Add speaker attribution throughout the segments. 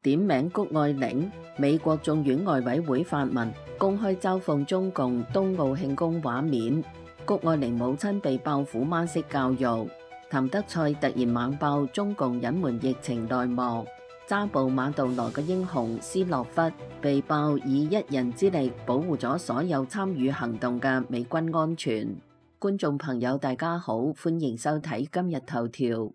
Speaker 1: 點名谷愛凌，美國眾院外委會發文公開嘲諷中共冬奧慶功畫面。谷愛凌母親被爆虎媽式教育。譚德塞突然猛爆中共隱瞞疫情內幕。揸捕馬杜羅嘅英雄斯諾弗被爆以一人之力保護咗所有參與行動嘅美軍安全。觀眾朋友大家好，歡迎收睇今日頭條。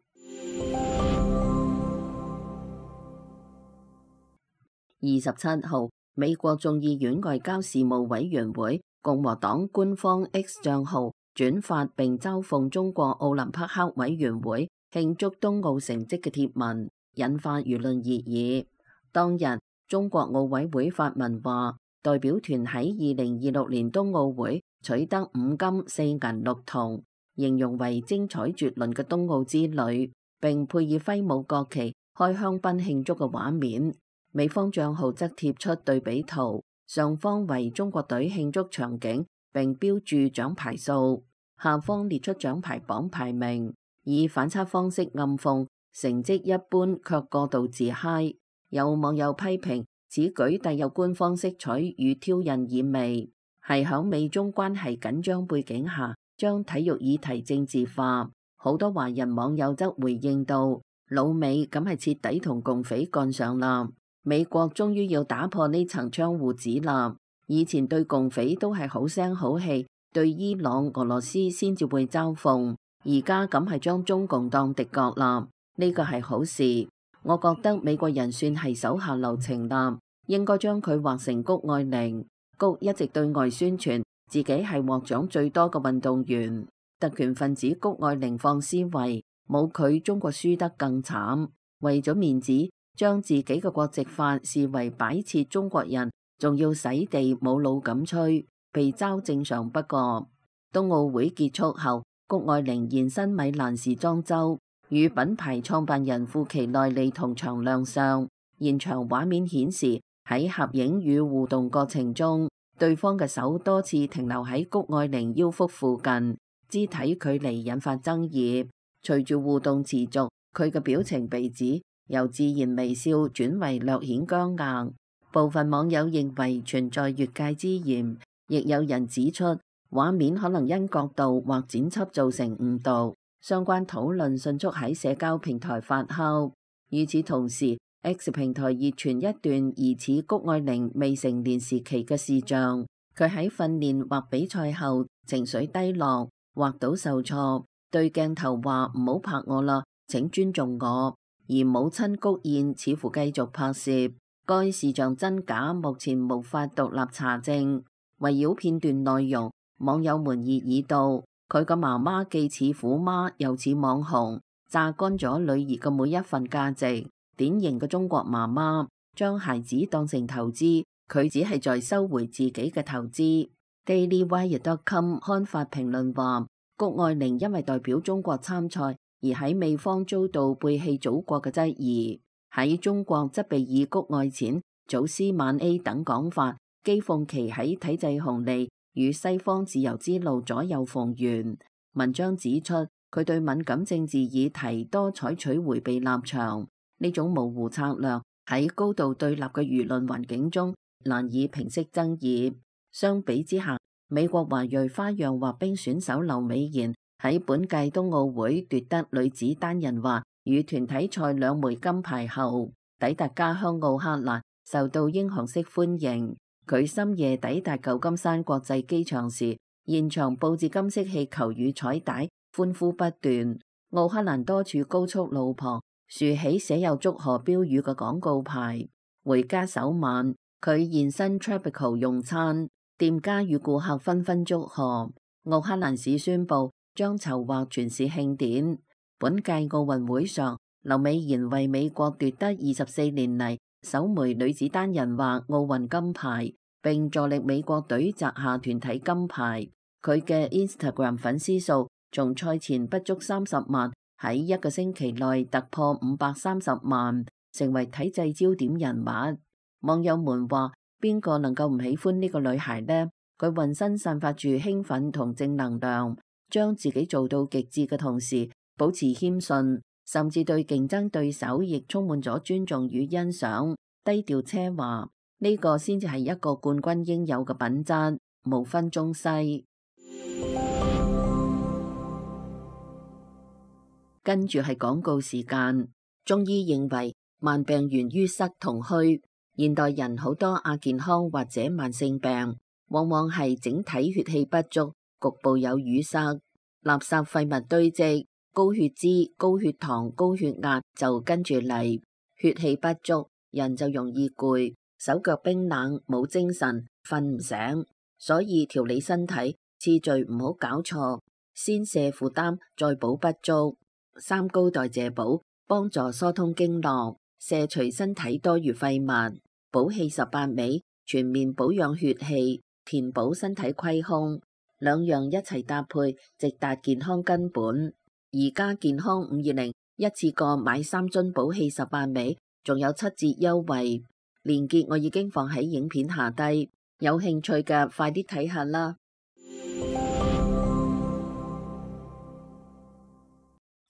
Speaker 1: 27號，美國眾議院外交事務委員會共和黨官方 X 賬號轉發並嘲諷中國奧林匹克委員會慶祝冬奧成績嘅貼文，引發輿論熱議。當日，中國奧委會發文話，代表團喺2026年冬奧會取得5金4銀6銅，形容為精彩絕倫嘅冬奧之旅，並配以揮舞國旗、開香檳慶祝嘅畫面。美方賬號則貼出對比圖，上方為中國隊慶祝場景，並標注獎牌數，下方列出獎牌榜排名，以反差方式暗諷成績一般卻過度自嗨。有網友批評此舉帶有官方色彩與挑釁意味，係響美中關係緊張背景下將體育議題政治化。好多華人網友則回應道：老美咁係徹底同共匪幹上啦！美國終於要打破呢層窗戶紙啦！以前對共匪都係好聲好氣，對伊朗、俄羅斯先至會嘲諷，而家咁係將中共當敵國啦，呢個係好事。我覺得美國人算係手下留情啦，應該將佢劃成谷愛凌。谷一直對外宣傳自己係獲獎最多嘅運動員，特權分子谷愛凌放思維，冇佢中國輸得更慘。為咗面子，將自己嘅國籍法視為擺設中國人，仲要洗地冇腦咁吹，被嘲正常不過。冬奧會結束後，谷愛凌現身米蘭時裝周，與品牌創辦人富奇內利同場亮相。現場畫面顯示，喺合影與互動過程中，對方嘅手多次停留喺谷愛凌腰腹附近，肢體距離引發爭議。隨住互動持續，佢嘅表情被指由自然微笑轉為略顯僵硬，部分網友認為存在越界之嫌，亦有人指出畫面可能因角度或剪輯造成誤導。相關討論迅速喺社交平台發酵。與此同時， X 平台熱傳一段疑似谷愛凌未成年時期嘅視像，佢喺訓練或比賽後情緒低落，滑倒受挫，對鏡頭話唔好拍我啦，請尊重我。而母親谷燕似乎繼續拍攝，該視像真假目前無法獨立查證。圍繞片段內容，網友們熱議道：佢個媽媽既似虎媽又似網紅，榨乾咗女兒嘅每一份價值。典型嘅中國媽媽將孩子當成投資，佢只係在收回自己嘅投資。DailyWire.com 刊發評論話，谷愛凌因為代表中國參賽，而喺美方遭到背棄祖國嘅質疑，喺中國則被以谷愛錢、祖師晚 A 等講法譏諷其喺體制紅利與西方自由之路左右逢源。文章指出，佢對敏感政治議題多採取迴避立場，呢種模糊策略喺高度對立嘅輿論環境中難以平息爭議。相比之下，美國華裔花樣滑冰選手劉美妍喺本屆冬奧會奪得女子單人滑與團體賽2枚金牌後，抵達家鄉奧克蘭，受到英雄式歡迎。佢深夜抵達舊金山國際機場時，現場佈置金色氣球與彩帶，歡呼不斷。奧克蘭多處高速路旁豎起寫有祝賀標語嘅廣告牌。回家首晚，佢現身 Tropical 用餐，店家與顧客紛紛祝賀。奧克蘭市宣布將籌劃全市慶典。本屆奧運會上，劉美妍為美國奪得24年嚟首枚女子單人滑奧運金牌，並助力美國隊摘下團體金牌。佢嘅 Instagram 粉絲數從賽前不足30萬，喺一個星期內突破530萬，成為體制焦點人物。網友們話：邊個能夠唔喜歡呢個女孩呢？佢渾身散發住興奮同正能量，將自己做到極致嘅同時，保持謙遜，甚至對競爭對手亦充滿咗尊重與欣賞，低調奢華，呢個先至係一個冠軍應有嘅品質，無分中西。跟住係廣告時間。中醫認為慢病源於塞同虛，現代人好多亞健康或者慢性病，往往係整體血氣不足，局部有淤塞，垃圾廢物堆積，高血脂、高血糖、高血壓就跟住嚟，血氣不足，人就容易攰，手腳冰冷，冇精神，瞓唔醒。所以調理身體次序唔好搞錯，先瀉負擔，再補不足。三高代謝補幫助疏通經絡，卸除身體多餘廢物，補氣18味，全面保養血氣，填補身體虧空，兩樣一齊搭配，直達健康根本。而家健康520一次過買3樽補氣18味，仲有7折優惠，鏈接我已經放喺影片下低，有興趣嘅快啲睇下啦。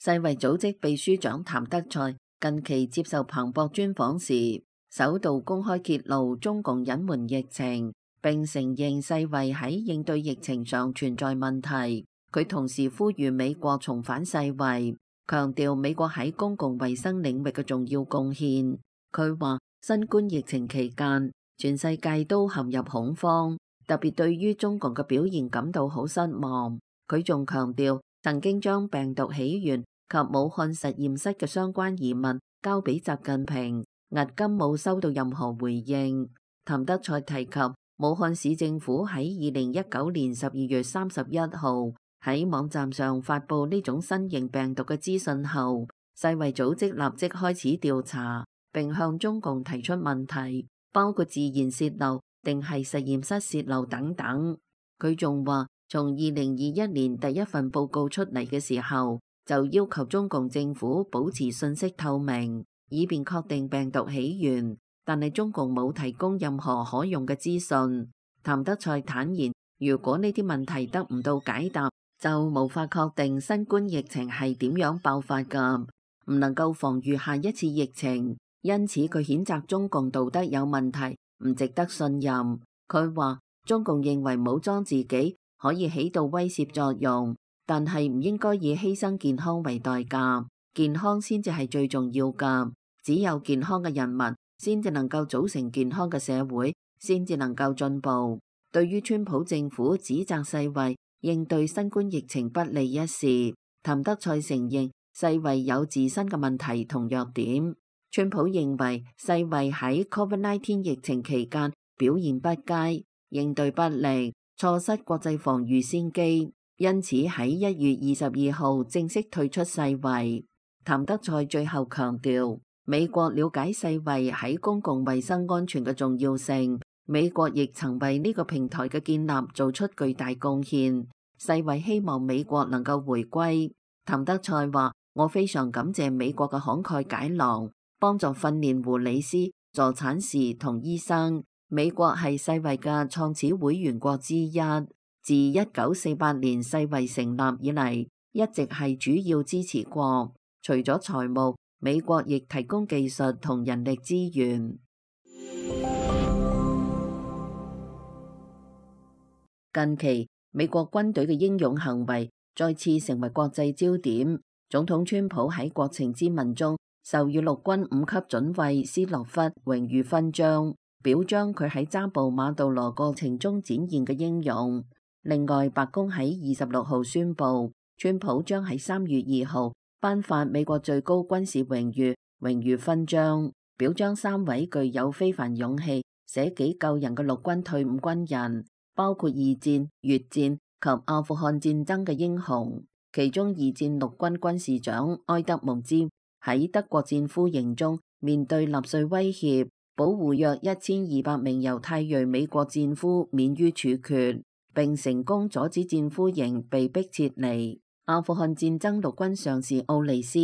Speaker 1: 世衛組織秘書長譚德塞近期接受彭博專訪時，首度公開揭露中共隱瞞疫情，並承認世衛喺應對疫情上存在問題。佢同時呼籲美國重返世衛，強調美國喺公共衛生領域嘅重要貢獻。佢話新冠疫情期間，全世界都陷入恐慌，特別對於中共嘅表現感到好失望。佢仲強調，曾經將病毒起源及武漢實驗室嘅相關疑問交俾習近平，至今冇收到任何回應。譚德塞提及，武漢市政府喺2019年12月31號喺網站上發布呢種新型病毒嘅資訊後，世衛組織立即開始調查，並向中共提出問題，包括自然洩漏定係實驗室洩漏等等。佢仲話，從2021年第一份報告出嚟嘅時候，就要求中共政府保持信息透明，以便確定病毒起源，但係中共冇提供任何可用嘅資訊。譚德塞坦言，如果呢啲問題得唔到解答，就無法確定新冠疫情係點樣爆發㗎，唔能夠防禦下一次疫情。因此佢譴責中共道德有問題，唔值得信任。佢話中共認為武裝自己可以起到威懾作用，但係唔應該以犧牲健康為代價，健康先至係最重要㗎。只有健康嘅人民，先至能夠組成健康嘅社會，先至能夠進步。對於川普政府指責世衛應對新冠疫情不利一事，譚德塞承認世衛有自身嘅問題同弱點。川普認為世衛喺 COVID-19 疫情期間表現不佳，應對不力，錯失國際防禦先機。因此喺1月22號正式退出世衛。譚德塞最後強調，美國了解世衛喺公共衛生安全嘅重要性，美國亦曾為呢個平台嘅建立做出巨大貢獻。世衛希望美國能夠回歸。譚德塞話：我非常感謝美國嘅慷慨解囊，幫助訓練護理師、助產士同醫生。美國係世衛嘅創始會員國之一。自1948年世衛成立以嚟，一直係主要支持國。除咗財務，美國亦提供技術同人力資源。近期，美國軍隊嘅英勇行為再次成為國際焦點。總統川普喺國情咨文中授予陸軍5級準尉斯諾弗榮譽勳章，表彰佢喺揸捕馬杜羅過程中展現嘅英勇。另外，白宮喺26號宣布，川普將喺3月2號頒發美國最高軍事榮譽勳章，表彰3位具有非凡勇氣、捨己救人嘅陸軍退伍軍人，包括2戰、越戰及阿富汗戰爭嘅英雄。其中2戰陸軍軍事長埃德蒙茲喺德國戰俘營中面對納粹威脅，保護約1200名猶太裔美國戰俘免於處決，並成功阻止戰俘營被迫撤離。阿富汗戰爭陸軍上士奧利斯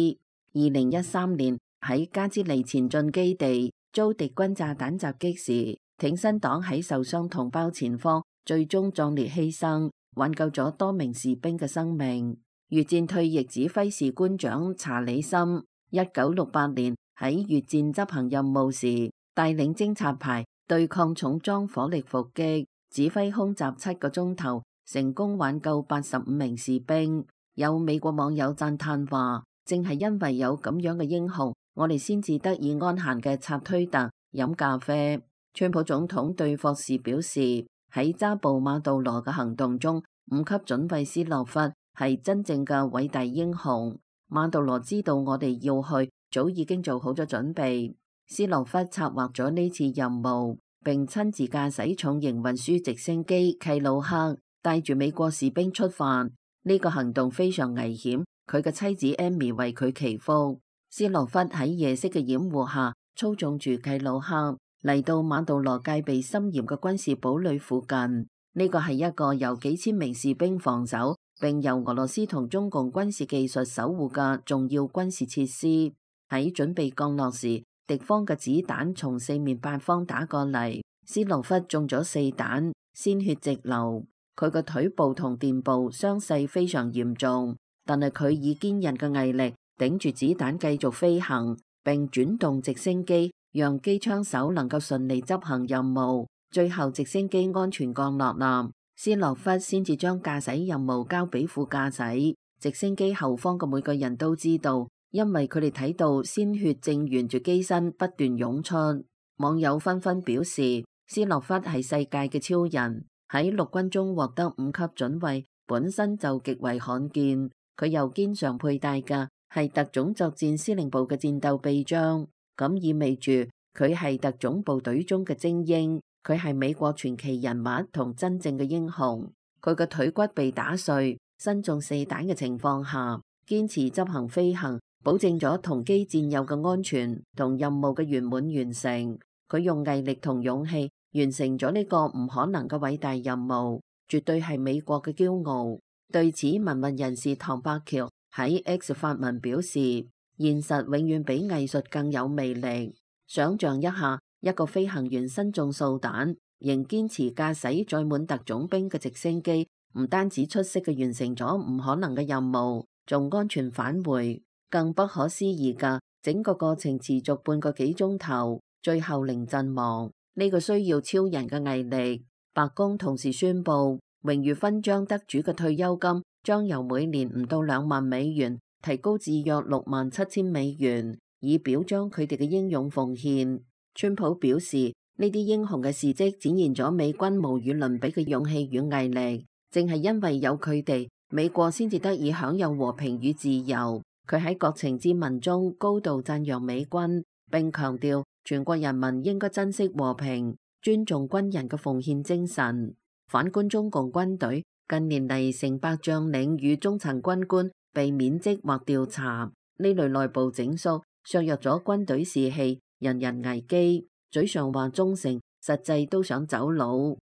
Speaker 1: 2013年喺加茲尼前進基地遭敵軍炸彈襲擊時，挺身擋喺受傷同胞前方，最終壯烈犧牲，挽救咗多名士兵嘅生命。越戰退役指揮士官長查理森1968年喺越戰執行任務時，帶領偵察排對抗重裝火力伏擊，指揮空襲7個鐘頭，成功挽救85名士兵。有美國網友讚嘆話：正係因為有咁樣嘅英雄，我哋先至得以安閒嘅插推特飲咖啡。川普總統對霍士表示，喺抓捕馬杜羅嘅行動中，5級準尉斯諾夫係真正嘅偉大英雄。馬杜羅知道我哋要去，早已經做好咗準備。斯諾夫策劃咗呢次任務，並親自駕駛重型運輸直升機契魯克，帶住美國士兵出發。呢個行動非常危險，佢嘅妻子艾米為佢祈福。斯諾夫喺夜色嘅掩護下，操縱住契魯克嚟到馬杜羅戒備森嚴嘅軍事堡壘附近。呢個係一個由幾千名士兵防守，並由俄羅斯同中共軍事技術守護嘅重要軍事設施。喺準備降落時，敵方嘅子彈從四面八方打過嚟，斯諾夫中咗4彈，鮮血直流。佢嘅腿部同臀部傷勢非常嚴重，但係佢以堅韌嘅毅力頂住子彈繼續飛行，並轉動直升機，讓機槍手能夠順利執行任務。最後直升機安全降落啦，斯諾夫先至將駕駛任務交俾副駕駛。直升機後方嘅每個人都知道，因為佢哋睇到鮮血正沿住機身不斷湧出。網友紛紛表示，斯諾夫係世界嘅超人。喺陸軍中獲得5級準尉本身就極為罕見，佢又經常佩戴嘅係特種作戰司令部嘅戰鬥臂章，咁意味住佢係特種部隊中嘅精英，佢係美國傳奇人物同真正嘅英雄。佢嘅腿骨被打碎，身中4彈嘅情況下，堅持執行飛行，保證咗同機戰友嘅安全同任務嘅圓滿完成。佢用毅力同勇氣完成咗呢個唔可能嘅偉大任務，絕對係美國嘅驕傲。對此，文運人士唐伯橋喺 X 發文表示，現實永遠比藝術更有魅力。想象一下，一個飛行員身中數彈，仍堅持駕駛載滿特種兵嘅直升機，唔單止出色嘅完成咗唔可能嘅任務，仲安全返回。更不可思議嘅，整個過程持續半個幾鐘頭，最後零陣亡。呢個需要超人嘅毅力。白宮同時宣布，榮譽勳章得主嘅退休金將由每年唔到2萬美元提高至約67000美元，以表彰佢哋嘅英勇奉獻。川普表示，呢啲英雄嘅事蹟展現咗美軍無與倫比嘅勇氣與毅力，正係因為有佢哋，美國先至得以享有和平與自由。佢喺國情咨文中高度讚揚美軍，並強調全國人民應該珍惜和平，尊重軍人嘅奉獻精神。反觀中共軍隊，近年嚟成百將領與中層軍官被免職或調查，呢類內部整肅削弱咗軍隊士氣，人人危機。嘴上話忠誠，實際都想走佬。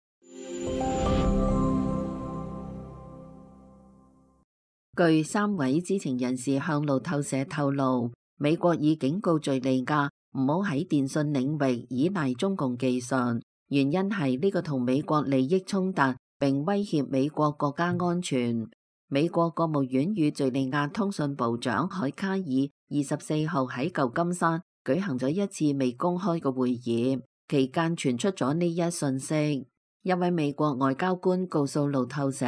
Speaker 1: 據3位知情人士向路透社透露，美國已警告敘利亞唔好喺電信領域依賴中共技術，原因係呢個同美國利益衝突，並威脅美國國家安全。美國國務院與敘利亞通訊部長海卡爾24號喺舊金山舉行咗一次未公開嘅會議，期間傳出咗呢一信息。一位美國外交官告訴路透社，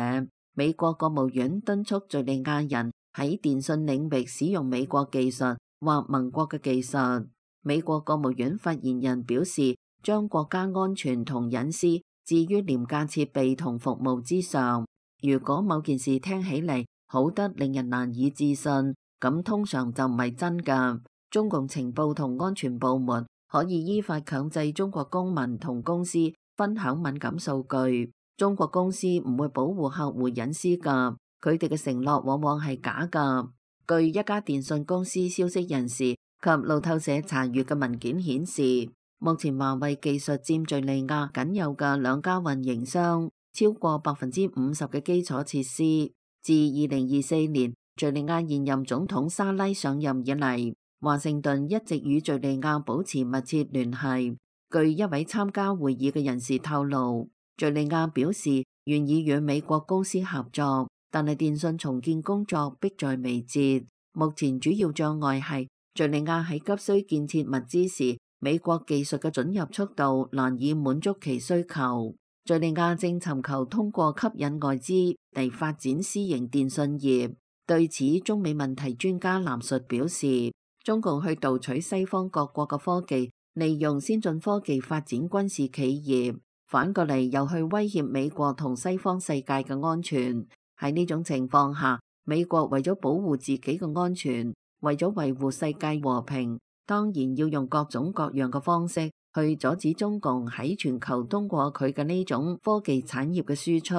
Speaker 1: 美國國務院敦促敘利亞人喺電信領域使用美國技術或盟國嘅技術。美國國務院發言人表示，將國家安全同隱私置於廉價設備同服務之上。如果某件事聽起嚟好得令人難以置信，咁通常就唔係真㗎。中共情報同安全部門可以依法強制中國公民同公司分享敏感數據。中國公司唔會保護客戶隱私㗎，佢哋嘅承諾往往係假㗎。據一家電信公司消息人士及路透社查閱嘅文件顯示，目前華為技術佔敘利亞僅有嘅2家運營商超過50%嘅基礎設施。自2024年敘利亞現任總統沙拉上任以嚟，華盛頓一直與敘利亞保持密切聯繫。據一位參加會議嘅人士透露，敘利亞表示願意與美國公司合作，但係電信重建工作迫在眉睫。目前主要障礙係敘利亞喺急需建設物資時，美國技術嘅准入速度難以滿足其需求。敘利亞正尋求通過吸引外資嚟發展私營電信業。對此，中美問題專家藍述表示，中共去盜取西方各國嘅科技，利用先進科技發展軍事企業，反過嚟又去威脅美國同西方世界嘅安全。喺呢種情況下，美國為咗保護自己嘅安全，為咗維護世界和平，當然要用各種各樣嘅方式去阻止中共喺全球通過佢嘅呢種科技產業嘅輸出，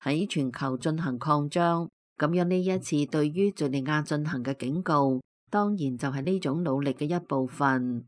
Speaker 1: 喺全球進行擴張。咁樣呢一次對於敘利亞進行嘅警告，當然就係呢種努力嘅一部分。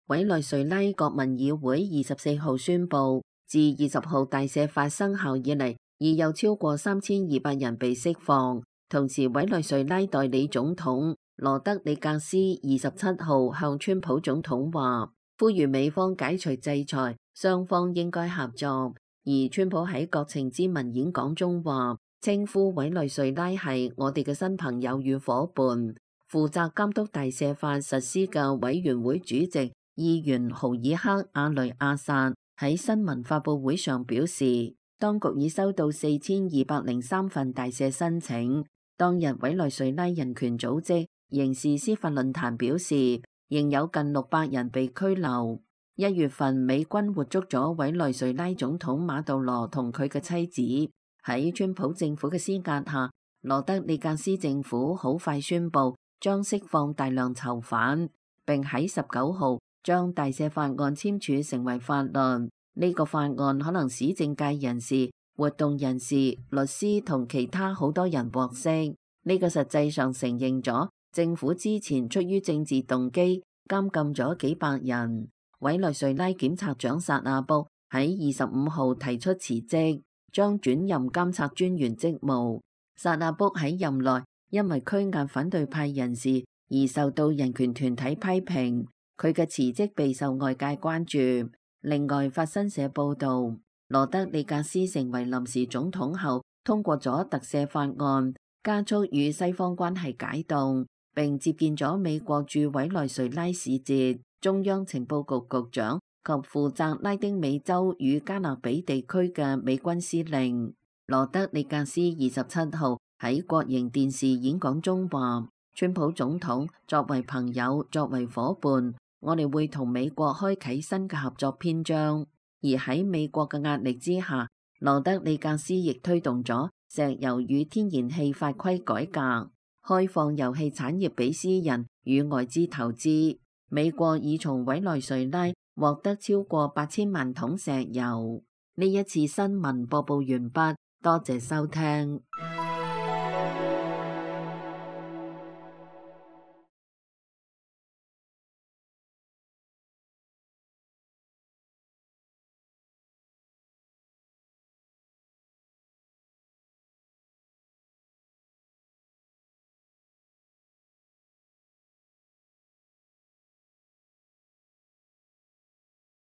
Speaker 1: 委內瑞拉國民議會24號宣布，自20號大赦法生效以嚟，已有超過3200人被釋放。同時，委內瑞拉代理總統羅德里格斯27號向川普總統話，呼籲美方解除制裁，雙方應該合作。而川普喺國情咨文演講中話，稱呼委內瑞拉係我哋嘅新朋友與夥伴。負責監督大赦法實施嘅委員會主席議員豪爾克阿雷亞薩喺新聞發佈會上表示，當局已收到4203份大赦申請。當日委內瑞拉人權組織刑事司法論壇表示，仍有近600人被拘留。1月份，美軍活捉咗委內瑞拉總統馬杜羅同佢嘅妻子。喺川普政府嘅施壓下，羅德里格斯政府好快宣布將釋放大量囚犯，並喺19號將大赦法案簽署成為法律。呢個法案可能使政界人士、活動人士、律師同其他好多人獲釋。呢個實際上承認咗政府之前出於政治動機監禁咗幾百人。委內瑞拉檢察長薩亞卜喺25號提出辭職，將轉任監察專員職務。薩亞卜喺任內因為拘押反對派人士而受到人權團體批評，佢嘅辭職備受外界關注。另外，法新社報道，羅德里格斯成為臨時總統後，通過咗特赦法案，加速與西方關係解凍，並接見咗美國駐委內瑞拉使節、中央情報局局長及負責拉丁美洲與加勒比地區嘅美軍司令。羅德里格斯27號喺國營電視演講中話，川普總統作為朋友、作為夥伴，我哋會同美國開啟新嘅合作篇章。而喺美國嘅壓力之下，羅德里格斯亦推動咗石油與天然氣法規改革，開放油氣產業俾私人與外資投資。美國已從委內瑞拉獲得超過8000萬桶石油。呢一次新聞播報完畢，多謝收聽。